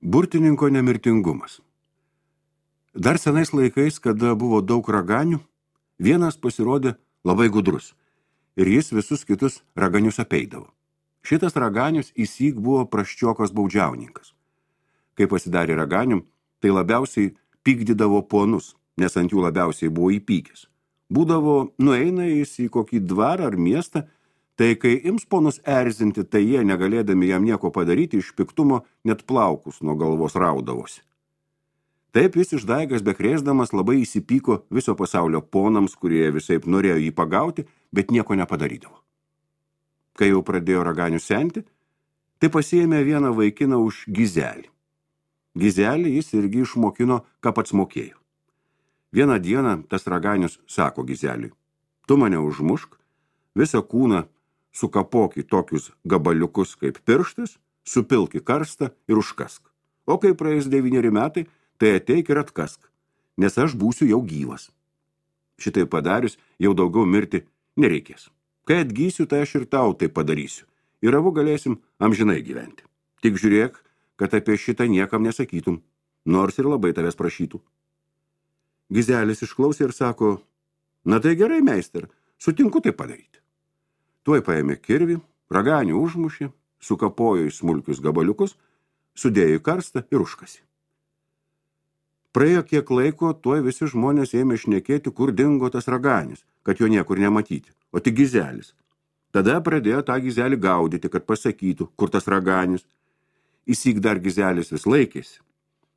Burtininko nemirtingumas. Dar senais laikais, kada buvo daug raganių, vienas pasirodė labai gudrus ir jis visus kitus raganius apeidavo. Šitas raganius įsyk buvo prasčiokas baudžiauninkas. Kai pasidarė raganium, tai labiausiai pykdydavo ponus, nes ant jų labiausiai buvo įpykęs. Būdavo, nueina jis į kokį dvarą ar miestą, tai kai ims ponus erzinti, tai jie, negalėdami jam nieko padaryti, iš piktumo net plaukus nuo galvos raudavosi. Taip jis išdaigas bekrėsdamas labai įsipyko viso pasaulio ponams, kurie visaip norėjo jį pagauti, bet nieko nepadarydavo. Kai jau pradėjo raganių senti, tai pasiėmė vieną vaikiną už gizelį. Gizelį jis irgi išmokino, ką pats mokėjo. Vieną dieną tas raganius sako gizeliui: tu mane užmušk, visą kūną sukapok į tokius gabaliukus kaip pirštas, supilk į karstą ir užkask. O kai praeis 9 metai, tai ateik ir atkask, nes aš būsiu jau gyvas. Šitai padarius, jau daugiau mirti nereikės. Kai atgysiu, tai aš ir tau tai padarysiu. Ir abu galėsim amžinai gyventi. Tik žiūrėk, kad apie šitą niekam nesakytum, nors ir labai tavęs prašytų. Gizelis išklausė ir sako: na tai gerai, meister, sutinku tai padaryti. Tuoj paėmė kirvį, raganių užmušė, sukapojo į smulkius gabaliukus, sudėjo į karstą ir užkasė. Praėjo kiek laiko, tuoj visi žmonės ėmė šnekėti, kur dingo tas raganius, kad jo niekur nematyti, o tik gizelis. Tada pradėjo tą gizelį gaudyti, kad pasakytų, kur tas raganius. Įsyk dar gizelis vis laikėsi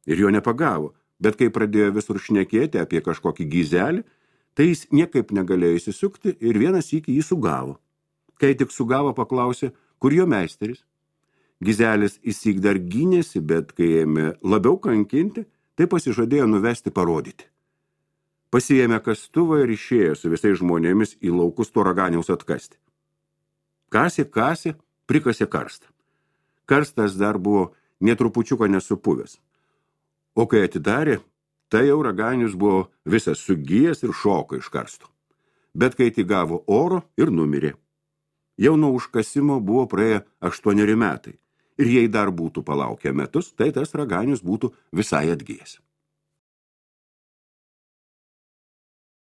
ir jo nepagavo, bet kai pradėjo visur šnekėti apie kažkokį gizelį, tai jis niekaip negalėjo įsisukti ir vieną sykį jį sugavo. Kai tik sugavo, paklausė, kur jo meisteris. Gizelis įsyk dar gynėsi, bet kai ėmė labiau kankinti, tai pasižadėjo nuvesti parodyti. Pasiėmė kastuvą ir išėjo su visais žmonėmis į laukus to raganiaus atkasti. Kasė, prikasė karstą. Karstas dar buvo netrupučiuko nesupuvęs. O kai atidarė, tai jau raganius buvo visas sugijęs ir šoko iš karsto. Bet kai tik gavo oro ir numirė. Jau nuo užkasimo buvo praėję 8 metai. Ir jei dar būtų palaukę metus, tai tas raganius būtų visai atgijęs.